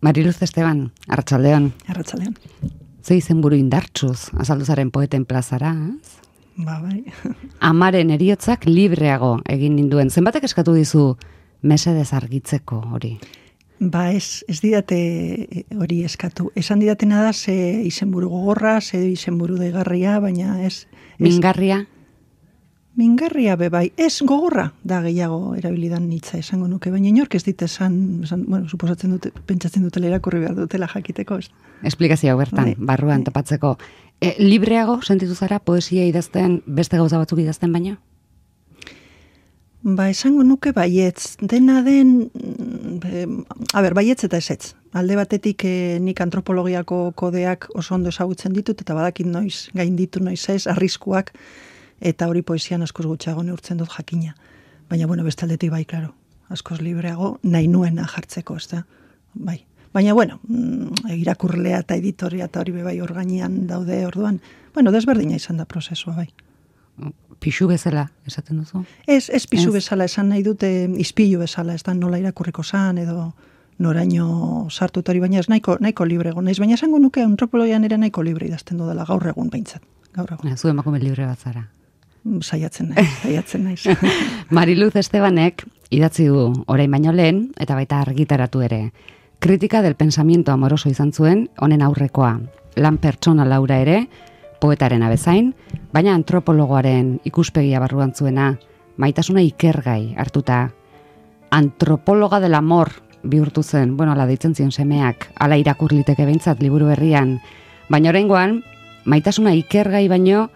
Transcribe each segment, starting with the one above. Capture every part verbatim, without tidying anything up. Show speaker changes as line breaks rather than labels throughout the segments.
Mariluz Esteban, Arratsaldeon.
Arratsaldeon.
Ze izenburu indartsuz, azaldu zaren poeten plazara, ez?
Ba, bai.
Amaren heriotzak libreago egin ninduen. Zenbatek eskatu dizu mesedez argitzeko hori?
Ba, ez, ez didate hori eskatu. Esan didatena da, ze izenburu gogorra, ze izenburu deigarria, baina ez... ez
Mingarria?
Mingarria be bai, ez gogorra da gehiago erabilidan hitza esango nuke, baina inork ez dit esan, esan bueno, suposatzen dute, pentsatzen dutela irakurri behar dutela jakiteko, ez?
Esplikazio bertan, bai, barruan bai. Topatzeko. E, libreago sentitu zara poesia idazten, beste gauza batzuk idazten baino?
Ba, esango nuke baietz, dena den, e, a ber, baietz eta ezetz. Alde batetik e, nik antropologiako kodeak oso ondo ezagutzen ditut, eta badakit noiz, gain ditu noiz ez, arriskuak, eta hori poesian askoz gutxago neurtzen dut jakina. Baina, bueno, bestaldetik bai, klaro, askoz libreago, nahi nuena jartzeko, ez da? Bai. Baina, bueno, irakurlea eta editoria eta hori bai organian daude orduan, bueno, desberdina izan da prozesua, bai.
Pixu bezala, esaten duzu?
Ez, ez pixu bezala, esan nahi dute izpilu bezala, ez da nola irakurriko zan, edo noraino sartu hori, baina ez nahiko, nahiko librego naiz, baina esango nuke antropologian ere nahiko libre idazten dudala, gaur egun behintzat, gaur egun.
Zu emakume libre bat zara.
Saiatzen naiz, saiatzen naiz.
Mariluz Estebanek idatzi du orain baino lehen, eta baita argitaratu ere. Kritika del pensamiento amoroso izan zuen, honen aurrekoa. Lan pertsona laura ere, poetaren abezain, baina antropologoaren ikuspegia barruan zuena, maitasuna ikergai hartuta. Antropologa del amor bihurtu zen, bueno, ala deitzen zion semeak, ala irakur liteke behintzat liburu berrian, baina oraingoan maitasuna ikergai baino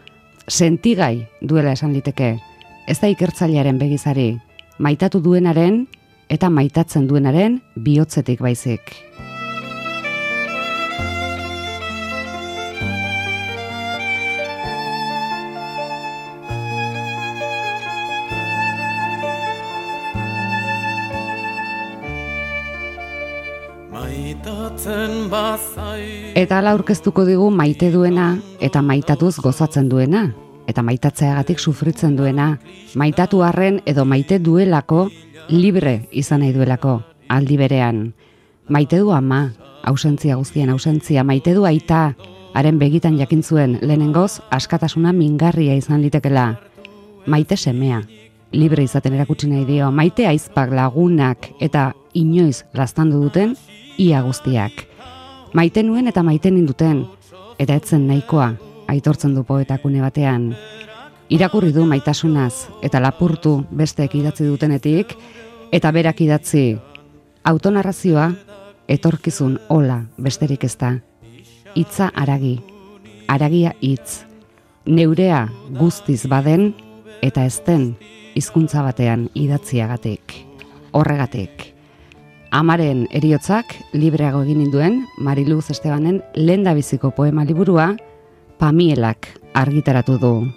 sentigai duela esan liteke. Ez da ikertzailearen begizari, maitatu duenaren eta maitatzen duenaren bihotzetik baizik. Eta ala aurkeztuko digu maite duena eta maitatuz gozatzen duena, eta maitatzeagatik sufritzen duena, maitatu arren edo maite duelako, libre izan nahi duelako, aldi berean. Maite du ama, ausentzia guztien ausentzia, maite du aita, haren begitan jakin zuen lehenengoz askatasuna mingarria izan litekela. Maite semea, libre izaten erakutsi nahi dio, maite aizpak lagunak eta inoiz laztandu duten ia guztiak. Maite nuen eta maite ninduten, eta etzen nahikoa, aitortzen du poetakune batean. Irakurri du maitasunaz, eta lapurtu besteek idatzi dutenetik, eta berak idatzi, autonarrazioa, etorkizun hola besterik ez da. Hitza aragi, aragia hitz, neurea guztiz baden, eta ez den hizkuntza batean idatziagatik. Horregatik. Amaren heriotzak libreago egin ninduen Mariluz Estebanen lehendabiziko poema liburua Pamielak argitaratu du.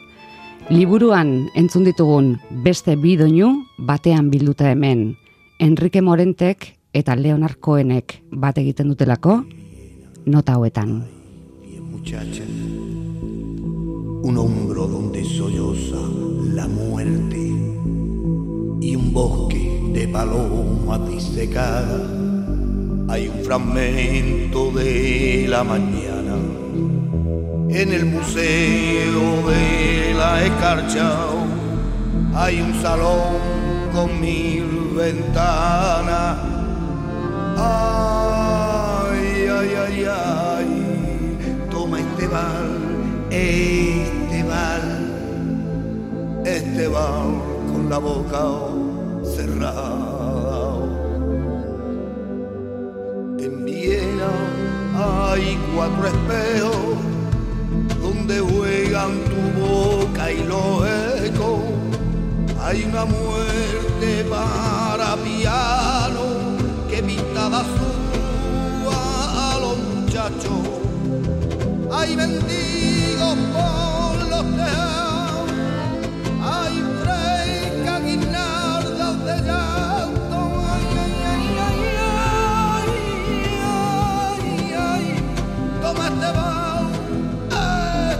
Liburuan entzun ditugun beste bi doinu batean bilduta hemen, Enrique Morentek eta Leonard Cohenek bat egiten dutelako nota hauetan.
Muchacha, un hombro donde solloza la muerte y un bosque de palomas disecadas, hay un fragmento de la mañana en el museo de la escarcha, hay un salón con mil ventanas, ay, ay, ay, ay, toma este bal, este bal, este bal con la boca cerrada. En Viena hay cuatro espejos donde juegan tu boca y los ecos. Hay una muerte para piano que pinta de azul a los muchachos. Hay mendigos por los tejados, hay frescas guirnaldas de llanto. Ay, ay, ay, ay, ay, ay, ay. Toma este bar,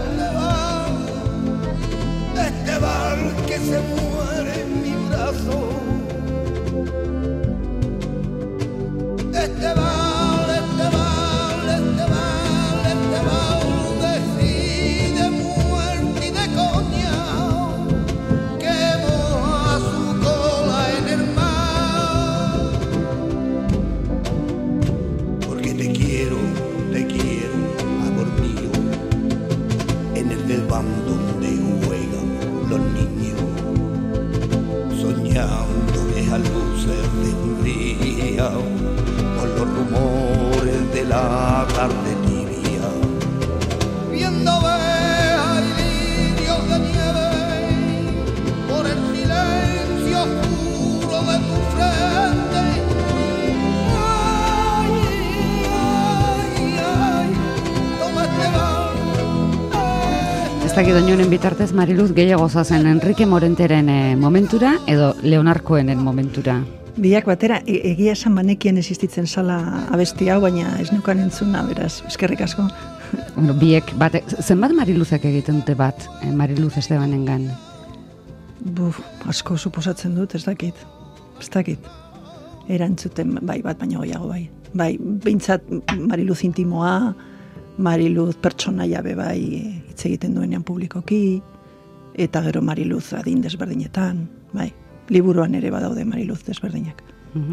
este bar, este bar que se muere en mi brazo. Este bar,
dakit doinonen bitartez Mariluz gehiago zazen Enrique Morenteren e, momentura edo Leonarkoenen momentura?
Biak batera, e egia esan banekien existitzen zala abesti hau, baina ez nukan entzuna, beraz, eskerrik asko.
Bueno, biek, bate, zenbat Mariluzek egiten dute bat, eh, Mariluz Estebanengan?
Buf, asko suposatzen dut, ez dakit, ez dakit. Erantzuten, bai, bat baino gehiago, bai. Bai, behintzat Mariluz intimoa, Mariluz pertsonaia be bai hitz egiten duenean publikoki, eta gero Mariluz adin desberdinetan, bai. Liburuan ere badaude Mariluz desberdinak.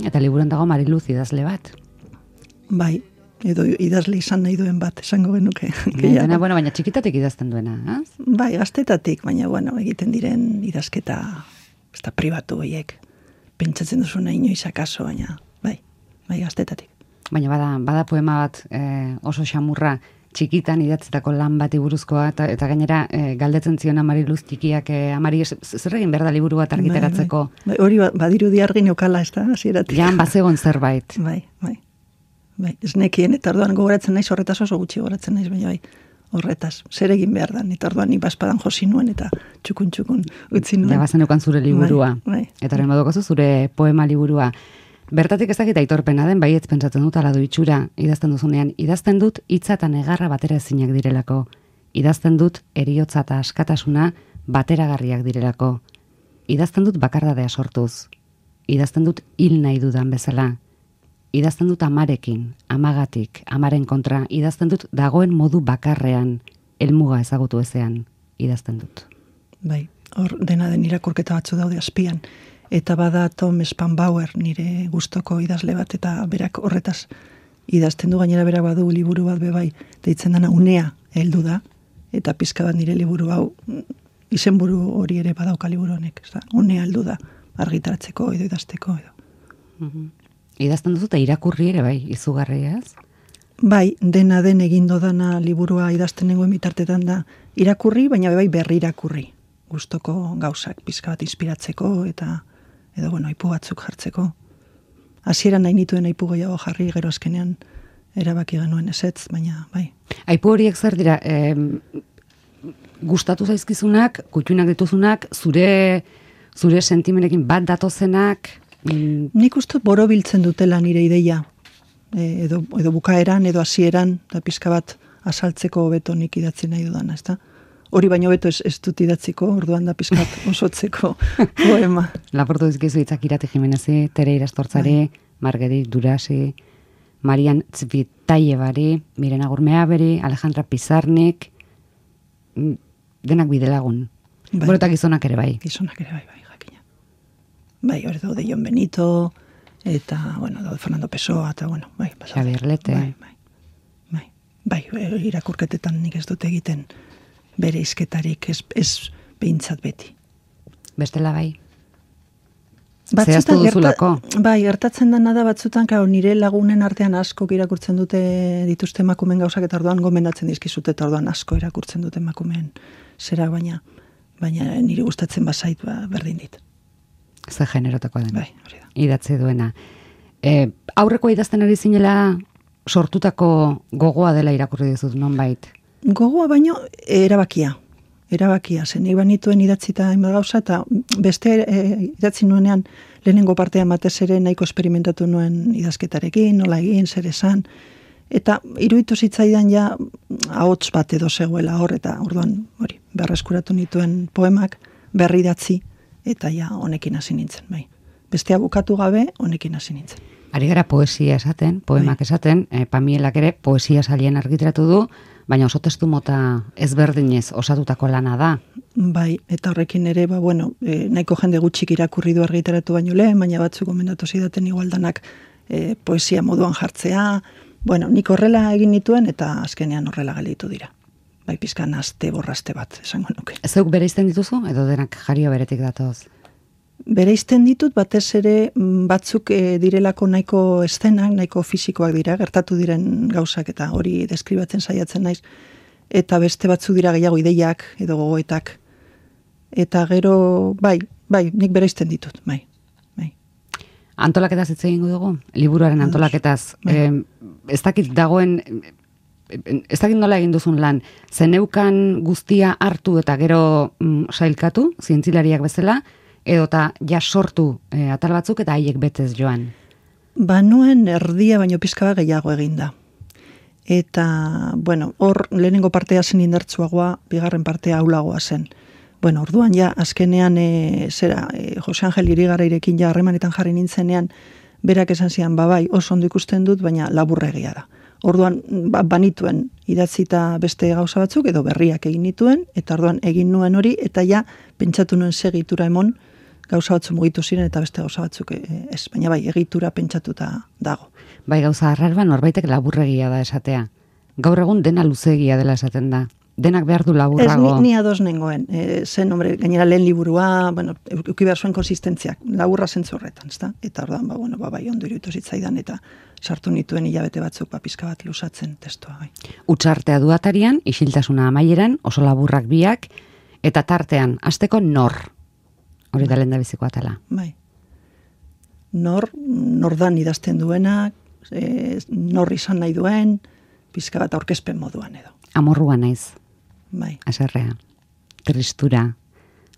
Eta liburuan dago Mariluz idazle bat?
Bai, edo idazle izan nahi duen bat, esango genuke.
Dena, bueno, baina txikitatik idazten duena, az?
Bai, gaztetatik, baina bueno, egiten diren idazketa, ez da pribatu horiek. Pentsatzen duzuna inoiz akaso, baina bai, bai gaztetatik.
Baina bada, bada poema bat eh, oso xamurra, txikitan idatzetako lan bati buruzkoa, eta, eta gainera e, galdetzen ziona Mariluz txikiak e, amari zer egin behar da liburu bat argitaratzeko.
Bai, bai. Bai, hori ba, badirudi argi neukala, ez da, hasieratik.
Jan bazegon zerbait.
Bai, bai. Bai, ez nekien, eta orduan gogoratzen naiz, horretaz oso gutxi gogoratzen naiz, baina bai, horretaz. Zer egin behar da, eta orduan ni baspadan josi nuen, eta txukun-txukun utzi nuen.
Ja bazenukan zure liburua.
Bai, bai.
Eta horren badokazu zure poema liburua. Bertatik ez dakit aitorpena den, baietz pentsatzen dut ala du itxura, idazten duzunean, idazten dut hitza eta negarra batera ezinak direlako. Idazten dut eriotza eta askatasuna bateragarriak direlako. Idazten dut bakardadea sortuz. Idazten dut hil nahi dudan bezala. Idazten dut amarekin, amagatik, amaren kontra. Idazten dut dagoen modu bakarrean, helmuga ezagutu ezean. Idazten dut.
Bai, hor dena den irakurketa batzu daude azpian. Eta bada Tom Spanbauer nire gustoko idazle bat, eta berak horretaz idazten du, gainera berak badu liburu bat bebai, deitzen dana Unea heldu da, eta pizka bat nire liburu hau, izenburu hori ere badauka liburu honek, ez da? Unea heldu da, argitaratzeko edo idazteko edo.
Mm-hmm. Idazten duzu eta irakurri ere bai, izugarriaz?
Bai, dena den egindo dana liburua idazten nengoen bitartetan da irakurri, baina bai berri irakurri. Gustoko gauzak pizka bat inspiratzeko eta edo bueno, aipu batzuk jartzeko. Hasieran nahi nituen aipu gehiago jarri, gero azkenean erabaki genuen ezetz, baina bai.
Aipu horiek zer dira, eh, gustatu zaizkizunak, kutxunak dituzunak, zure zure sentimenekin bat datozenak?
Mm. Nik uste borobiltzen dutela nire ideia, e, edo, edo bukaeran, edo hasieran, eta pizka bat asaltzeko hobeto nik idatzi nahi dudana, ezta? Hori baino beto ez, ez dut idatziko, orduan da pizkat osotzeko poema.
Laportu dizkizu hitzak Irati Jimenezi, Tere Irastortzari, bai. Margerit Durasi, Marian Tzvitaiebari, Mirena Gurmeaberi, Alejandra Pizarnik, denak bidelagun. Bai. Bueno, eta gizonak ere bai.
Gizonak ere bai, bai, jakina. Bai, hori daude Jon Benito, eta, bueno, daude Fernando Pessoa, eta, bueno, bai.
Xabier Lete.
Bai, bai. Bai, bai, irakurketetan nik ez dut egiten bere izketarik, ez, ez behintzat beti.
Bestela bai?
Batzutan,
Zehaztu duzulako?
Gerta, bai, gertatzen dena da batzutan, karo, nire lagunen artean asko irakurtzen dute dituzte emakumeen gauzak, eta orduan gomendatzen dizkizute, eta orduan asko irakurtzen dute emakumeen zera, baina, baina nire gustatzen bazait ba, berdin dit.
Ze generotakoa den.
Bai, hori da.
Idatzi duena. E, aurreko idazten ari zinela sortutako gogoa dela irakurri dizut, nonbait?
Gogoa baino erabakia. Erabakia, zen nik banituen idatzita hainbat gauza, eta beste e, idatzi nuenean lehenengo partean batez ere nahiko esperimentatu nuen idazketarekin, nola egin, zer esan, eta iruditu zitzaidan ja ahots bat edo zegoela hor, eta orduan hori, berreskuratu nituen poemak, berri idatzi, eta ja honekin hasi nintzen, bai. Bestea bukatu gabe, honekin hasi nintzen.
Ari gara poesia esaten, poemak bai. Esaten, e, Pamielak ere poesia salien argitaratu du, baina oso testu mota ezberdinez osatutako lana da.
Bai, eta horrekin ere, ba, bueno, e, nahiko jende gutxik irakurri du argitaratu baino lehen, baina batzuk gomendatu zidaten igualdanak e, poesia moduan jartzea. Bueno, nik horrela egin nituen eta azkenean horrela gelditu dira. Bai, pizkan aste borraste bat, esango nuke.
Zeuk bereizten dituzu, edo denak jario beretik datoz?
Bereizten ditut, batez ere batzuk e, direlako nahiko eszenak, nahiko fisikoak dira, gertatu diren gauzak eta hori deskribatzen saiatzen naiz, eta beste batzu dira gehiago ideiak edo gogoetak. Eta gero, bai, bai, nik bereizten ditut, bai. bai.
Antolaketaz hitz egingo dugu, liburuaren antolaketaz.
Bai.
Eh, ez dakit dagoen ez dakit nola egin duzun lan, zeneukan guztia hartu eta gero mm, sailkatu, zientzilariak bezala, edota ja sortu e, atal batzuk eta haiek betez joan?
Banuen erdia baino pizka bat gehiago eginda. Eta, bueno, hor lehenengo partea zen indartsuagoa, bigarren partea aulagoa zen. Bueno, orduan ja, azkenean, e, zera, e, Jose Angel Irigarairekin ja harremanetan jarri nintzenean, berak esan zian, babai, oso ondo ikusten dut, baina laburregia da. Orduan, ba, banituen idatzita beste gauza batzuk, edo berriak egin nituen, eta orduan egin nuen hori, eta ja, pentsatu nuen segitura emon, gauza batzu mugitu ziren, eta beste gauza batzuk ez, baina bai, egitura pentsatuta dago.
Bai, gauza arrarba norbaitek laburregia da esatea. Gaur egun dena luzegia dela esaten da. Denak behar du laburrago.
Ez, ni, ni ados nengoen. E, zen, hombre, gainera lehen liburua, bueno, euki behar zuen konsistentziak, laburra zentzu horretan, ezta? Eta ordan, ba, bueno, ba, bai, ondo iruditu zitzaidan, eta sartu nituen hilabete batzuk, ba, pizka bat lusatzen testua, bai.
Utsartea du atarian, isiltasuna amaieran, oso laburrak biak, eta tartean, hasteko nor. Hori da lehen da biziko atala.
Bai. Nor, nordan idazten duena, e, nor izan nahi duen, pizka bat aurkezpen moduan edo.
Amorrua naiz.
Bai.
Aserrea. Tristura.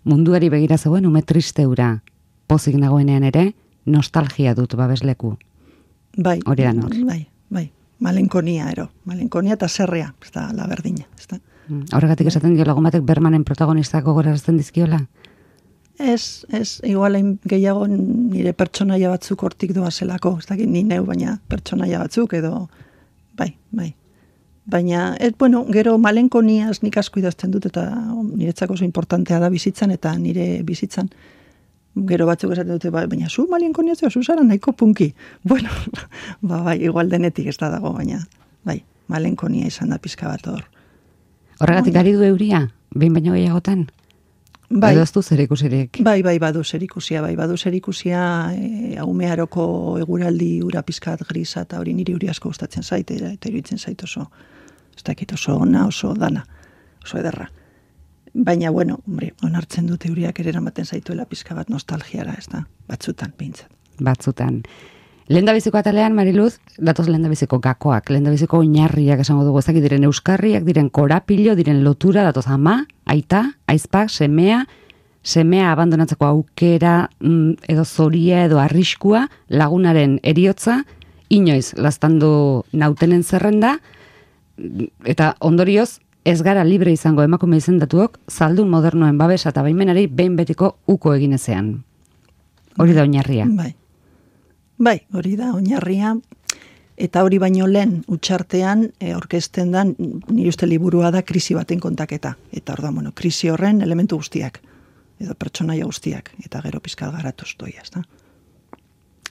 Munduari begira zegoen ume tristeura. Pozik nagoenean ere, nostalgia dut babesleku.
Bai.
Hori da nor.
Bai, bai. Malenkonia, ero. Malenkonia eta zerrea. Ez da, la berdina. Ez da.
Horregatik esaten dio lagun batek Bermanen protagonistako gorazten dizkiola?
Ez, ez, igual gehiago nire pertsonaia batzuk hortik doazelako. Ez dakit ni neu, baina pertsonaia batzuk edo, bai, bai. Baina, ez, bueno, gero malenkoniaz nik asko idazten dut, eta niretzako oso importantea da bizitzan, eta nire bizitzan, gero batzuk esaten dute, ba, baina zu malenkoniaz, zu zara nahiko punki. Bueno, ba, bai, igual denetik ez da dago, baina, bai, malenkonia izan da pizka bat hor.
Horregatik ari du euria, behin baino gehiagotan?
Bai,
edo ez du zerikusirik?
Bai, bai, badu zerikusia, bai, badu zerikusia, e, aumearoko eguraldi ura pizkat grisa, eta hori niri uri asko gustatzen zait, eta iruditzen zait oso, ez dakit oso ona, oso dana, oso ederra. Baina, bueno, hombre, onartzen dute euriak ere eramaten zaituela pizka bat nostalgiara, ez da, batzutan, behintzat.
Batzutan. Lehendabiziko atalean, Mariluz, datoz lehendabiziko gakoak, lehendabiziko oinarriak esango dugu, ezakit diren euskarriak, diren korapilo, diren lotura, datoz ama, aita, aizpak, semea, semea abandonatzeko aukera, mm, edo zoria, edo arriskua, lagunaren eriotza, inoiz laztandu nautenen zerrenda, eta ondorioz, ez gara libre izango emakume izendatuok, zaldun modernoen babesa eta baimenari behin betiko uko eginezean. Hori da oinarria.
Bai. Bai, hori da oinarria, eta hori baino lehen utxartean e, orkesten dan, nire uste liburua da krisi baten kontaketa. Eta hor da, bueno, krisi horren elementu guztiak, edo pertsonaia guztiak, eta gero pizkal garatuz doia, ez da?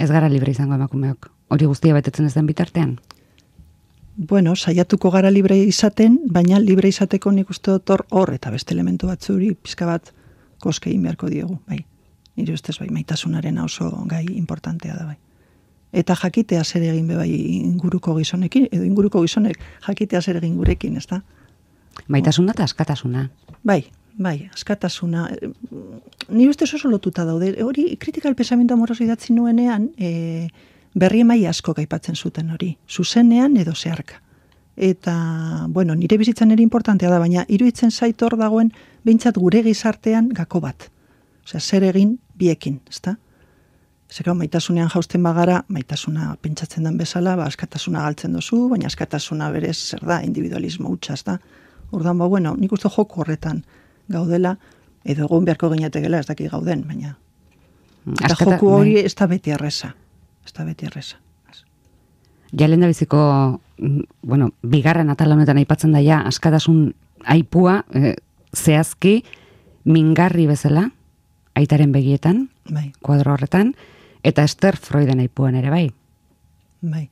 Ez gara libre izango emakumeok, hori guztia betetzen ez den bitartean?
Bueno, saiatuko gara libre izaten, baina libre izateko nik uste dut hor, hor eta beste elementu batzuri pizka bat koske egin beharko diogu, bai. Nire ustez bai, maitasunaren oso gai importantea da, bai. Eta jakitea zer egin be bai inguruko gizonekin, edo inguruko gizonek jakitea zer egin gurekin, ez da?
Maitasuna eta askatasuna.
Bai, bai, askatasuna. Ni ustez oso lotuta daude. Hori, kritika el pensamiento amoroso idatzi nuenean, e, berri emai asko aipatzen zuten hori. Zuzenean edo zeharka. Eta, bueno, nire bizitzan ere importantea da, baina iruditzen zait hor dagoen behintzat gure gizartean gako bat. Osea, zer egin biekin, ez da? Zerau, maitasunean jausten bagara, maitasuna pentsatzen den bezala, ba, askatasuna galtzen dozu, baina askatasuna berez, zer da, individualismo hutsa, ez da? Ordan, ba, bueno, nik uste joko horretan gaudela, edo egon beharko ginetegela, ez daki gauden, baina eta
Askata,
joku hori
bai.
ez da beti erreza. Ez da beti erreza.
Ja lehen da biziko, bueno, bigarren atal honetan aipatzen daia, askatasun aipua, eh, zehazki, mingarri bezala, aitaren begietan,
Bai,
kuadro horretan, eta Esther Freuden aipuan ere bai.
bai.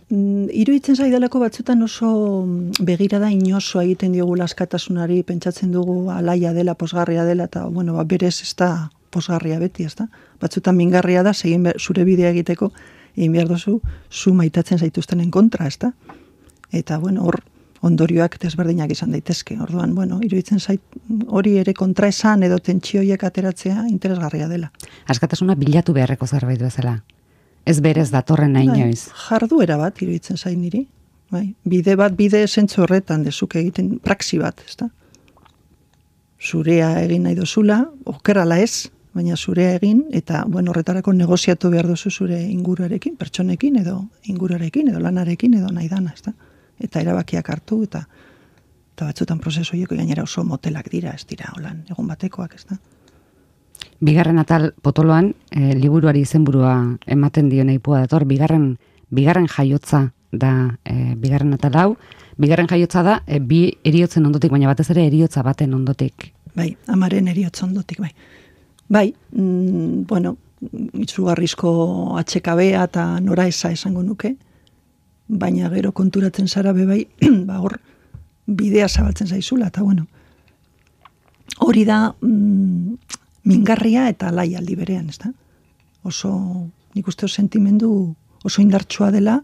Mm, iruditzen zaidalako batzutan oso begirada inosoa egiten diogula askatasunari, pentsatzen dugu alaia dela, posgarria dela, eta, bueno, ba, berez ez da posgarria beti, ez da? Batzutan mingarria da, segin be, zure bidea egiteko, egin behar duzu, zu maitatzen zaituztenen kontra, ez da? Eta, bueno, hor, ondorioak desberdinak izan daitezke. Orduan, bueno, iruditzen zait hori ere kontraesan edo tentsioiek ateratzea interesgarria dela.
Askatasuna bilatu beharreko zerbait bezala. Ez berez datorren nahi
Bai,
inoiz.
jarduera bat iruditzen zait niri. bai. Bide bat, bide zentzu horretan, dezuk egiten praxi bat, ez da? Zurea egin nahi dozula, okerala ez, baina zurea egin, eta, bueno, horretarako negoziatu behar duzu zure inguruarekin, pertsonekin, edo inguruarekin, edo lanarekin, edo nahi dana, ez da? Eta erabakiak hartu, eta eta batzutan prozesu horiek gainera oso motelak dira, ez dira, holan, egun batekoak, ez da?
Bigarren atal potoloan, e, liburuari izenburua ematen dio neipua dator, bigarren, bigarren jaiotza da e, bigarren atal hau, bigarren jaiotza da, e, bi eriotzen ondotik, baina batez ere eriotza baten ondotik.
Bai, amaren eriotza ondotik, bai. Bai, mm, bueno, itzugarrizko atxekabea eta nora eza esango nuke, baina gero konturatzen zara be bai, ba hor, bidea zabaltzen zaizula, eta bueno, hori da mm, mingarria eta lai aldi berean, ez da? Oso, nik uste sentimendu oso indartsua dela,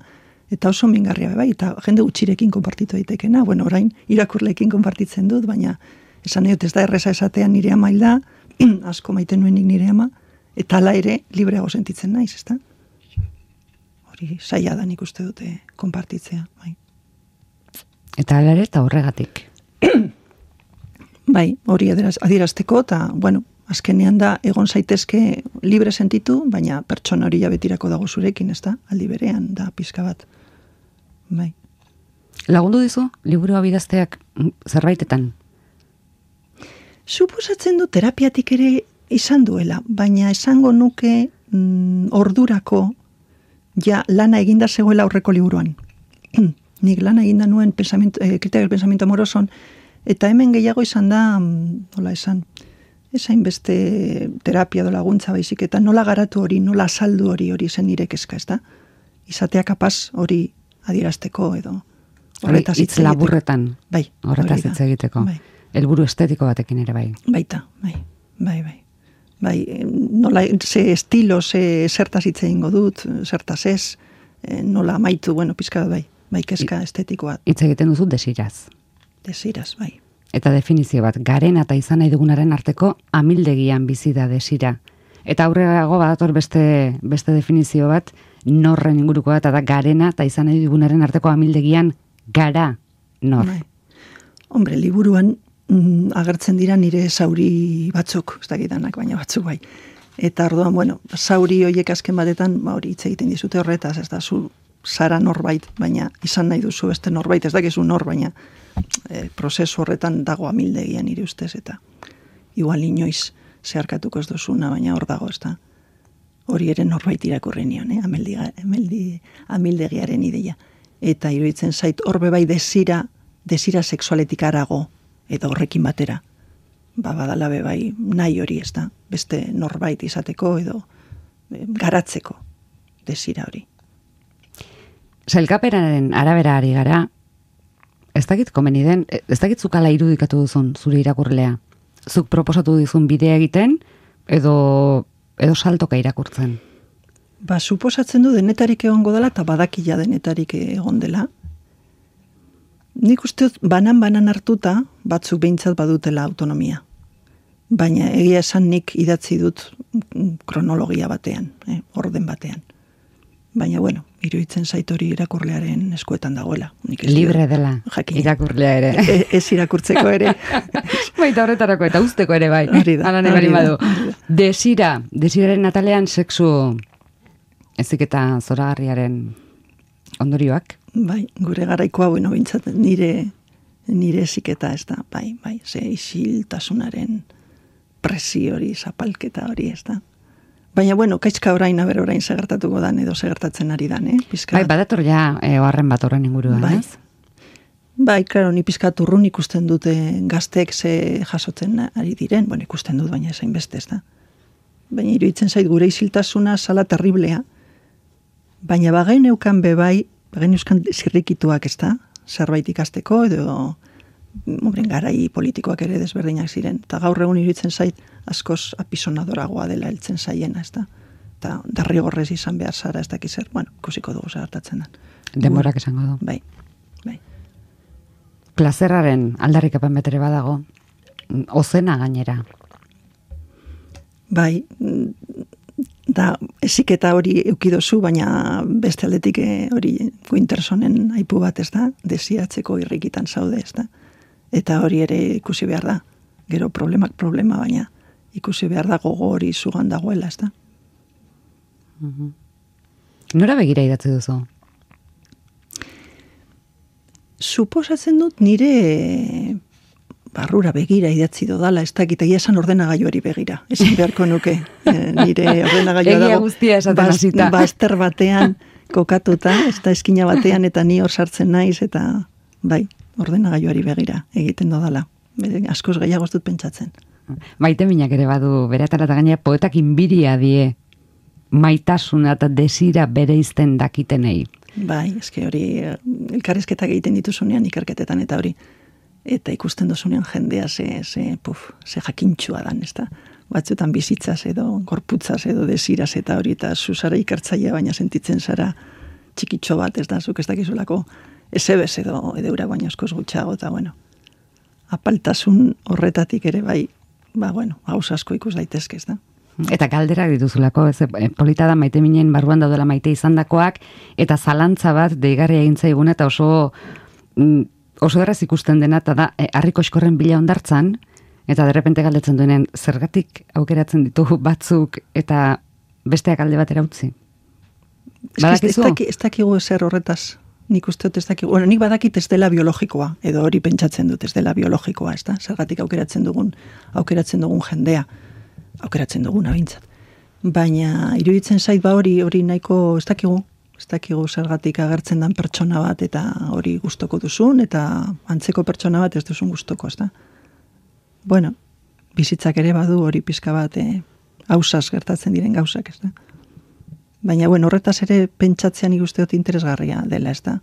eta oso mingarria be bai, eta jende gutxirekin konpartitu daitekena, bueno, orain irakurleekin konpartitzen dut, baina esan egot ez da erreza esatean nire ama hil da, asko maite nuenik nire ama, eta ala ere libreago sentitzen naiz, ez da? Hori zaila da nik uste dute konpartitzea, bai.
Eta ala ere eta horregatik.
Bai, hori adierazteko, eta, bueno, azkenean da egon zaitezke libre sentitu, baina pertsona hori jabetirako dago zurekin, ez da? Aldi berean da pizka bat. Bai.
Lagundu dizu, liburua bidazteak zerbaitetan?
Suposatzen du terapiatik ere izan duela, baina esango nuke mm, ordurako ja lana eginda zegoela aurreko liburuan. Nik lana eginda nuen pensamiento, eh, kritika del pensamiento amoroson, eta hemen gehiago izan da, nola esan, esain beste terapia do laguntza baizik, eta nola garatu hori, nola azaldu hori hori zen nire kezka, ez da? Izatea kapaz hori adierazteko edo horretaz
hitz laburretan.
Bai,
horretaz hitz egiteko.
Bai.
Helburu estetiko batekin ere bai.
Baita, bai, bai, bai. Bai, nola, ze estilo, ze zertaz hitz egingo dut, zertaz ez, nola amaitu, bueno, pizka bai, bai kezka estetikoa.
Hitz egiten duzu desiraz.
Desiraz, bai.
Eta definizio bat, garen eta izan nahi dugunaren arteko amildegian bizi da desira. Eta aurrerago badator beste, beste definizio bat, norren inguruko bat, eta garena eta izan nahi dugunaren arteko amildegian gara nor.
Bai. Hombre, liburuan mm, agertzen dira nire zauri batzuk, ez dakitanak, baina batzuk bai. Eta orduan, bueno, zauri horiek azken batetan, ba hori hitz egiten dizute horretaz, ez da, zu zara norbait, baina izan nahi duzu beste norbait, ez dakizu nor, baina e, prozesu horretan dago amildegian nire ustez, eta igual inoiz zeharkatuko ez duzuna, baina hor dago, ez da. Hori ere norbait irakurri nion, eh? Ameldi, ameldi, amildegiaren ideia. Eta iruditzen zait, horbe bai desira, desira sexualetik arago, edo horrekin batera. Ba, badala be bai nahi hori, ez da. Beste norbait izateko, edo e, garatzeko desira hori.
Sailkapenaren arabera ari gara, ez dakit komeni den, ez dakit zukala irudikatu duzun zure irakurlea. Zuk proposatu dizun bidea egiten, edo, edo saltoka irakurtzen.
Ba, suposatzen du denetarik egongo dela, eta badakila denetarik egon dela. Nik uste banan-banan hartuta, batzuk behintzat badutela autonomia. Baina egia esan nik idatzi dut kronologia batean, eh, orden batean. Baina, bueno, iruditzen zait hori irakurlearen eskuetan dagoela. Nik ez
libre
dira,
dela,
jakin.
irakurlea ere.
E, ez irakurtzeko ere.
Baita horretarako eta usteko ere bai.
Hori da,
Alane
hori
bari
da.
badu. Desira, desiraren atalean sexu ezik eta zoragarriaren ondorioak.
Bai, gure garaikoa, bueno, bintzat nire, nire eziketa ez da, bai, bai, ze isiltasunaren presio hori, zapalketa hori ez da. Baina, bueno, kaizka orain, aber orain segertatuko dan, edo segertatzen ari dan, eh? Pizka...
Bai, badator ja e, oharren bat horren inguruan,
bai.
ez?
Bai, klaro, ni pizkat urrun ikusten dute gazteek ze jasotzen ari diren, bueno, ikusten dut, baina esain beste ez da. Baina iruditzen zait gure isiltasuna sala terriblea, baina bagain eukan bebai, bagain euskan zirrikituak ez da, zerbait ikasteko, edo obren garai politikoak ere desberdinak ziren. Eta gaur egun iruditzen zait askoz apisonadoragoa dela heltzen zaiena, ez da. Eta derrigorrez izan behar zara, ez dakiz zer, bueno, ikusiko dugu zagartatzen da.
Denborak esango du.
Bai, bai.
Plazerraren aldarrikapen betere badago, ozena gainera.
Bai, da, eziketa hori eukidozu, baina beste aldetik hori Wintersonen aipu bat, ez da, desiatzeko irrikitan zaude, ez da. Eta hori ere ikusi behar da, gero problemak problema, baina ikusi behar da gogo hori zugan dagoela, ez da.
Mm-hmm. Nora begira idatzi duzu?
Suposatzen dut nire barrura begira idatzi dodala, ez dakit, egia esan ordenagailuari begira. Esan beharko nuke, e, nire ordenagailua dago.
Egia guztia esaten hasita.
Bazter batean kokatuta, ez da eskina batean, eta ni hor sartzen naiz, eta bai, ordenagailuari begira egiten dodala. Askoz gehiago ez dut pentsatzen.
Maite minak ere badu, bere atala eta gainera poetak inbiria die maitasuna eta desira bereizten dakitenei.
Bai, eske hori elkarrizketak egiten dituzunean ikerketetan eta hori eta ikusten dozunean jendea ze, ze, puf, ze jakintxua dan, ez da? Batzutan bizitzaz edo, gorputzaz edo desiraz eta hori eta zuzara ikertzaia baina sentitzen zara txikitxo bat, ez da? Zuk ez dakizulako ezebez edo edeura baina askoz gutxago eta bueno, apaltasun horretatik ere bai, ba bueno, haus asko ikus daitezke, ez da?
Eta galderak dituzulako, ez, polita da maite minen barruan daudela maite izandakoak, eta zalantza bat deigarria egin zaiguna, eta oso oso erraz ikusten dena, eta da, harriko eskorren bila ondartzan, eta derrepente galdetzen duenen, zergatik aukeratzen ditugu batzuk, eta besteak alde batera utzi.
Badakizu? Ez dakigu ezer horretaz, nik uste dut ez dakigu, bueno, nik badakit ez dela biologikoa, edo hori pentsatzen dut ez dela biologikoa, ez da, zergatik aukeratzen dugun, aukeratzen dugun jendea, aukeratzen duguna bintzat. Baina iruditzen zait ba hori hori nahiko ez dakigu, ez dakigu zergatik agertzen dan pertsona bat eta hori gustoko duzun eta antzeko pertsona bat ez duzun gustoko, ez da? Bueno, bizitzak ere badu hori pizka bat eh, hausaz gertatzen diren gauzak, ez da? Baina bueno, horretaz ere pentsatzean ikuste dut interesgarria dela, ez da?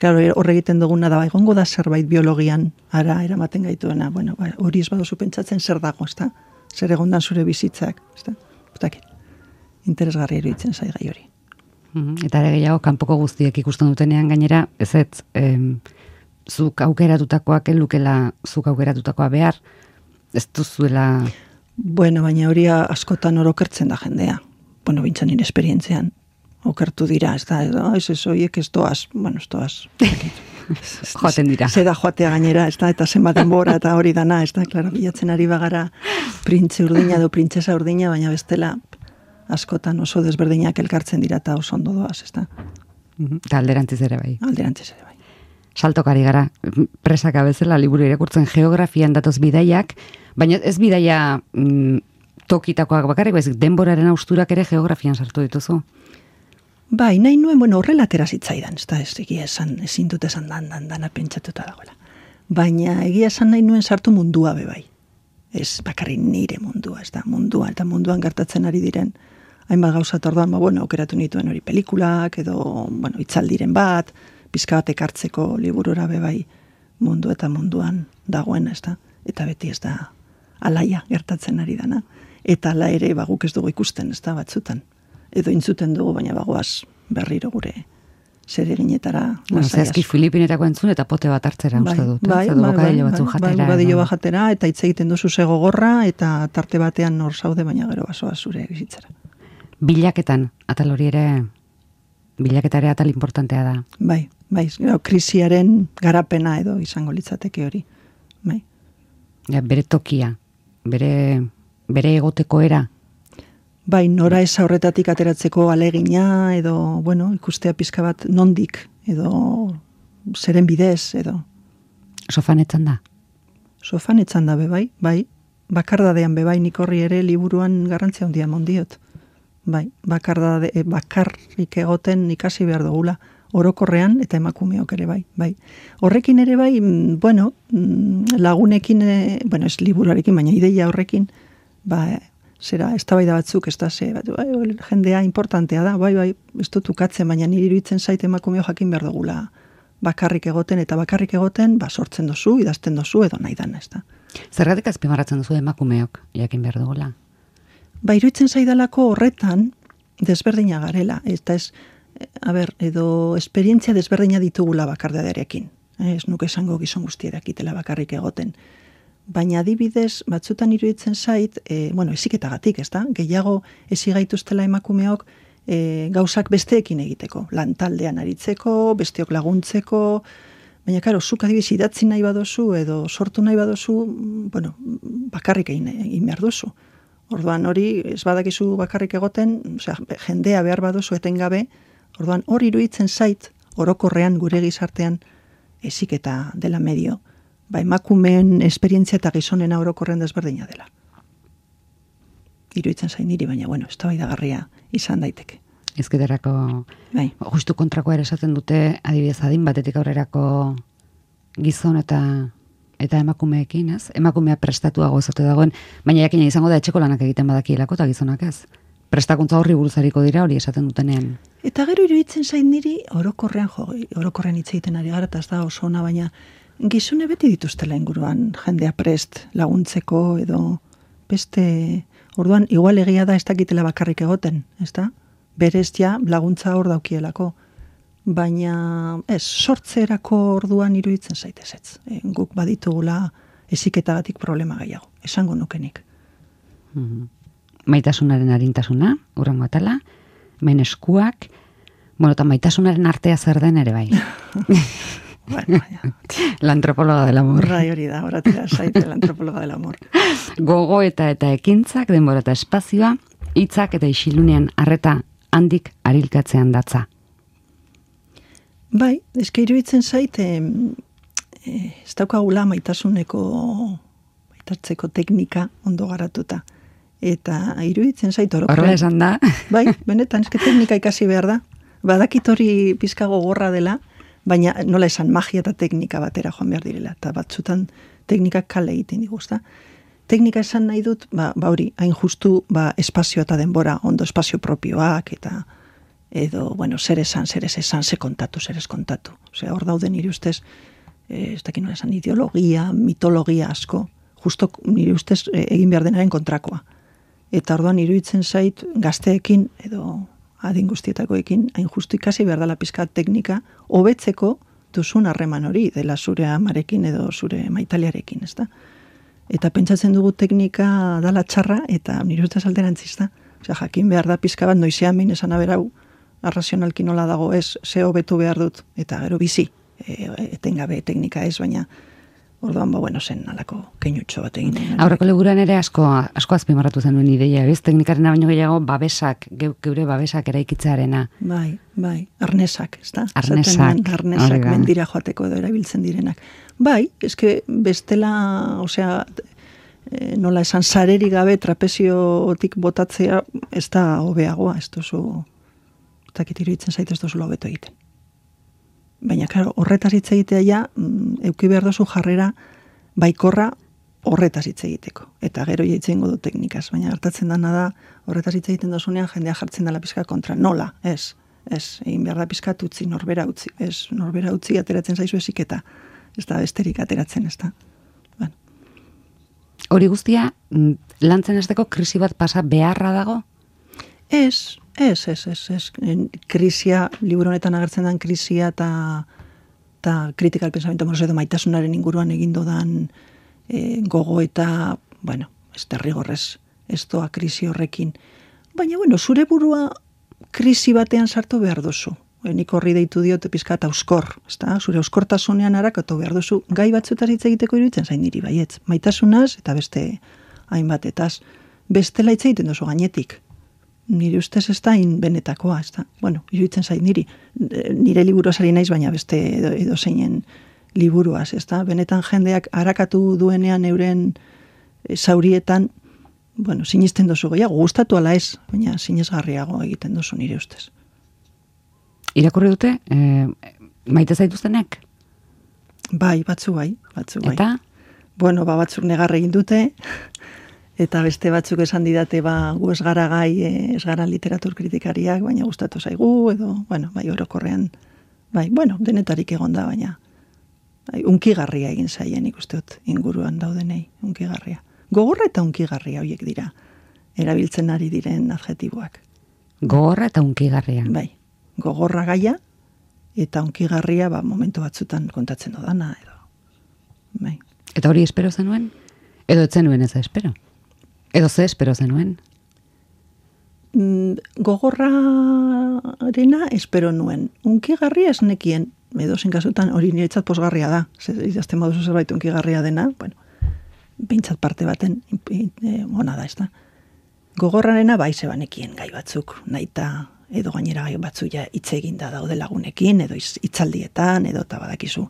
Claro, hor egiten duguna da, egongo da zerbait biologian ara eramaten gaituena, bueno, ba, hori ez baduzu pentsatzen zer dago, ez da? Zer egondan zure bizitzak, ez da? Butakit, interesgarri iruditzen zai gai hori.
Eta ere gehiago, kanpoko guztiek ikusten dutenean gainera, ez ez, em, zuk aukeratutakoak elukela zuk aukeratutakoa behar, ez duzuela...
Bueno, baina hori askotan orokertzen da jendea. Bueno, bintzan nire esperientzean, okertu dira, ez da, ez ez, oiek ez doaz, bueno, ez doaz,
joaten dira.
Zeda joatea gainera, ez da, eta zenbat denbora eta hori dana, ez da, klaro, bilatzen ari bagara printze urdina edo printzesa urdina, baina bestela askotan oso desberdinak elkartzen dira eta oso ondo doaz, ez da.
Eta alderantziz ere bai.
Alderantziz ere bai.
Saltokari gara, presaka bezala liburu irakurtzen geografian datoz bidaiak, baina ez bidaia mm, tokitakoak bakarrik, bezik denboraren austurak ere geografian sartu dituzu.
Bai, nahi nuen, bueno, horrela atera zitzaidan, ez da, ez egia esan, ezin dut esan dan, dan, dana pentsatuta dagoela. Baina egia esan nahi nuen sartu mundua be bai. Ez bakarri nire mundua, ez da, mundua, eta munduan gertatzen ari diren, hainbat gauza orduan, ba, bueno, aukeratu nituen hori pelikulak, edo, bueno, itzaldiren bat, pizka bat ekartzeko liburura be bai mundu eta munduan dagoen, ez da, eta beti ez da alaia gertatzen ari dana, eta ala ere, ba, guk ez dugu ikusten, ez da, batzutan. Edo intzuten dugu, baina bagoaz berriro gure zer eginetara.
Bueno, zehazki Filipinetako entzun eta pote bat hartzera
bai,
uste dut.
Bai,
bai, bai, bokadillo batzuk
bai,
jatera.
Bai, bokadillo bat jatera, eta hitz egiten duzu ze gogorra, eta tarte batean nor zaude, baina gero basoa zure bizitzara.
Bilaketan, atal hori ere, bilaketa ere atal importantea da.
Bai, bai, gero, krisiaren garapena edo izango litzateke hori. Bai.
Ja, bere tokia, bere, bere egoteko era.
Bai, nora ez horretatik ateratzeko alegina, edo, bueno, ikustea pizka bat nondik, edo zeren bidez, edo.
Sofanetzan da?
Sofanetzan da, bebai, bai. Bakardadean, bebai, nik horri ere liburuan garrantzia handia mondiot. Bai, bakardade, bakarrik egoten ikasi behar dugula, orokorrean eta emakumeok ere bai, bai. Horrekin ere bai, bueno, lagunekin, bueno, ez liburuarekin, baina ideia horrekin, ba, zera, eztabaida batzuk, ez da, ze, bat, bai, jendea importantea da, bai, bai, ez dut ukatzen, baina niri iruditzen zait emakumeo jakin behar dugula bakarrik egoten, eta bakarrik egoten, ba, sortzen dozu, idazten dozu, edo nahi dana, ez da.
Zergatik azpimarratzen duzu emakumeok jakin behar dugula?
Ba, iruditzen zaidalako horretan desberdina garela, eta ez, a ber, edo esperientzia desberdina ditugula bakardadearekin. Ez nuke esango gizon guztia dakitela bakarrik egoten. baina adibidez, batzutan iruditzen zait, e, bueno, eziketagatik, ez da? Gehiago ezigaituztela emakumeok e, gauzak besteekin egiteko, lantaldean aritzeko, besteok laguntzeko, baina, karo, zuk adibidez idatzi nahi badozu, edo sortu nahi badozu, bueno, bakarrik egin, egin behar duzu. Orduan hori, ez badakizu bakarrik egoten, osea, jendea behar baduzu etengabe, orduan hori iruditzen zait, orokorrean gure gizartean eziketa dela medio, ba, emakumeen esperientzia eta gizonena orokorren desberdina dela. Iruditzen zain niri, baina, bueno, eztabaidagarria izan daiteke.
Ezketarako,
bai.
Justu kontrakoa ere esaten dute, adibidez adin batetik aurrerako gizon eta eta emakumeekin, ez? Emakumea prestatuago ezote dagoen, baina jakina izango da etxeko lanak egiten badakielako eta gizonak ez. Prestakuntza horri buruzariko dira hori esaten dutenean.
Eta gero iruditzen zain niri, orokorrean jo, orokorrean hitz egiten ari gara, eta ez da oso ona, baina gizone beti dituztela inguruan jendea prest laguntzeko edo beste, orduan igual egia da ez dakitela bakarrik egoten, ez da? Berez ja laguntza hor daukielako, baina ez, sortzerako orduan iruditzen zaitez ez. E, guk baditugula eziketagatik problema gehiago, esango nukenik.
Mm-hmm. Maitasunaren arintasuna, urrengo atala, hemen eskuak, bueno, eta maitasunaren artea zer den ere bai.
Bueno, ja.
La antropóloga del amor.
Bai, hori da, horatera zaite la antropóloga del amor.
Gogo eta eta ekintzak, denbora eta espazioa, hitzak eta isilunean arreta handik arilkatzean datza.
Bai, eske iruditzen zait, e, ez daukagula maitasuneko, maitatzeko teknika ondo garatuta. Eta iruditzen zait orokorrean.
Horrela esan da.
Bai, benetan, eske teknika ikasi behar da. Badakit hori pizka gogorra dela, baina nola esan magia eta teknika batera joan behar direla. Eta batzutan teknikak kale egiten diguzta. Teknika esan nahi dut, ba, ba hori, hain justu ba, espazio eta denbora, ondo espazio propioak, eta edo, bueno, zer esan, zer ez esan, zer kontatu, zer ez kontatu. Osea, hor dauden nire ustez, eh, ez dakit nola esan, ideologia, mitologia asko, justo nire ustez eh, egin behar denaren kontrakoa. Eta orduan iruditzen zait gazteekin edo adin guztietakoekin hain justu ikasi behar dela pizka teknika hobetzeko duzun harreman hori dela zure amarekin edo zure maitalearekin, ezta? Eta pentsatzen dugu teknika dala txarra eta nire ustez alderantziz da. Osea, jakin behar da pizka bat noizean behin esan aberau arrazionalki nola dago ez, ze hobetu behar dut eta gero bizi, e, etengabe teknika ez, baina orduan, ba, bueno, zen alako keinutxo bat egin.
Aurreko leguran ere asko, asko azpimarratu zenuen ideia, ez? Teknikarena baino gehiago babesak, geure babesak eraikitzearena.
Bai, bai, arnesak, ez da?
Arnesak.
Arnesak mendira joateko edo erabiltzen direnak. Bai, eske bestela, osea, e, nola esan sareri gabe trapeziotik botatzea ez da hobeagoa, ez duzu, ez dakit iruditzen zait ez duzu hobeto egiten. Baina, claro, horretaz hitz egitea ja, euki behar dozu jarrera baikorra horretaz hitz egiteko. Eta gero jaitzen godu teknikaz. Baina hartatzen dana da, horretaz hitz egiten dozunean jendea jartzen dela pizka kontra. Nola, ez, ez, egin behar da pizka utzi, norbera utzi. Ez, norbera utzi ateratzen zaizu eziketa. Ez da besterik ateratzen, ez da. Bueno.
Hori guztia, lantzen esteko krisi bat pasa beharra dago?
Ez, ez, ez, ez, ez. Krisia, liburu honetan agertzen den krisia eta eta kritikal pensamiento amoroso edo maitasunaren inguruan egindu dan e, gogo eta, bueno, ez derrigorrez, ez doa krisi horrekin. Baina, bueno, zure burua krisi batean sartu behar duzu. E, nik horri deitu diot pizka eta euskor, ezta? Zure euskortasunean harakatu behar duzu. Gai batzutaz hitz egiteko iruditzen zain niri baietz. Maitasunaz eta beste hainbatetaz. Bestela hitz egiten duzu gainetik. Nire ustez ez da benetakoa, ez da. Bueno, iruditzen zait niri. Nire liburuaz ari naiz, baina beste edo, edo zeinen liburuaz, ez da. Benetan jendeak harakatu duenean euren zaurietan, bueno, sinisten dozu gehiago, gustatu ala ez, baina sinesgarriago egiten dozu nire ustez.
Irakurri dute, e, maite zaituztenek?
Bai, batzu bai, batzu bai.
Eta?
Bueno, ba, batzuk negar egin dute, eta beste batzuk esan didate, ba, gu ez gara gai, ez gara literatur kritikariak, baina gustatu zaigu, edo, bueno, bai, orokorrean, bai, bueno, denetarik egon da, baina, bai, unkigarria egin zaien ikustut inguruan daudenei, unkigarria. Gogorra eta unkigarria horiek dira, erabiltzen ari diren adjetiboak.
Gogorra eta unkigarria.
Bai, gogorra gaia, eta unkigarria, ba, momentu batzutan kontatzen dodana, edo, bai.
Eta hori espero zenuen? Edo etzen nuen ez espero. Edo ze espero zenuen?
Mm, gogorrarena espero nuen. Unkigarria esnekien, edo zinkasutan hori niretzat posgarria da. Idazten baduzu zerbait unkigarria dena, bueno, behintzat parte baten e, ona da, ez da. Gogorrarena bai zebanekien gai batzuk, naita edo gainera gai batzu ja hitz eginda daude lagunekin, edo hitzaldietan, edo eta badakizu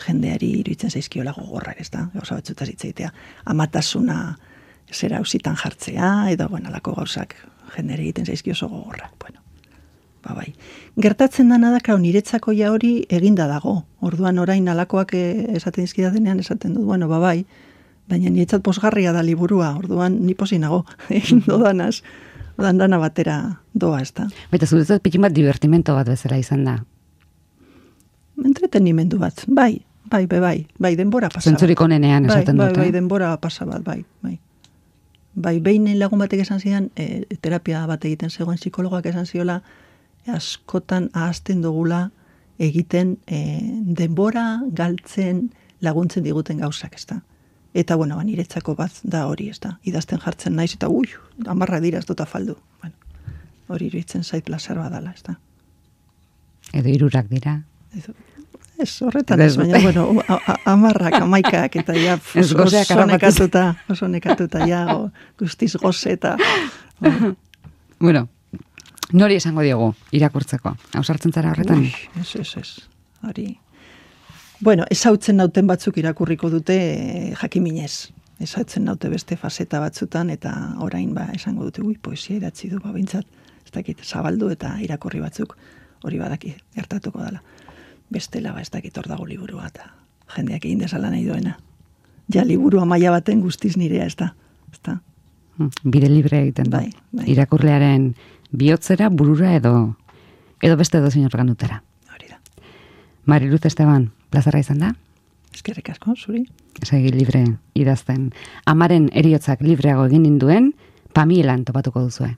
jendeari iruditzen zaizkiola gogorrak, ez da, gauza batzutaz hitz egitea, amatasuna zera ausitan jartzea, edo, bueno, alako gauzak jendeari egiten zaizkio oso gogorrak, bueno, ba bai. Gertatzen dana da, kau, niretzako ja hori eginda dago, orduan orain alakoak esaten dizkidatenean esaten dut, bueno, ba bai, baina niretzat posgarria da liburua, orduan ni posi nago, egin dodanaz, odan dana batera doa, ez da.
Baita zuretzat pikin bat divertimento bat bezala izan da.
Entretenimendu bat, bai, bai, bai, bai, bai, denbora pasa bat.
Zentzurik onenean esaten
bai,
dute.
Bai, bai, denbora pasa bat, bai, bai. Bai, behin lagun batek esan zidan, e, terapia bat egiten zegoen psikologak esan ziola, askotan ahazten dugula egiten e, denbora galtzen laguntzen diguten gauzak, ez da. Eta, bueno, niretzako bat da hori, ez da. Idazten jartzen naiz, eta ui, amarra dira ez dut afaldu. Bueno, hori iruditzen zait plazer badala, ez da.
Edo hirurak dira.
Ez, ez horretan ez, baina, bueno, amarrak, amaikak, eta ja, oso, oso nekatuta, oso nekatuta, ja, o, guztiz goze, eta...
Bueno, nori esango diogu, irakurtzeko? Hausartzen zara horretan?
Ui, ez, ez, ez, hori... Bueno, ezautzen nauten batzuk irakurriko dute e, jakiminez. Ezautzen naute beste faseta batzutan, eta orain ba esango dute, ui, poesia idatzi du, ba, bintzat, ez dakit, zabaldu eta irakurri batzuk hori badaki gertatuko dela. Bestela, ba, ez dakit hor dago liburua, eta jendeak egin desala nahi duena. Ja, liburua maila baten guztiz nirea, ez da. Ez da.
Bide libre egiten da.
Bai, bai.
Irakurlearen bihotzera, burura edo edo beste edo zinor ganutera.
Hori da.
Mariluz Esteban, plazarra izan da?
Eskerrik asko, zuri.
Segi libre idazten. Amaren eriotzak libreago egin ninduen, Pamielan topatuko duzue.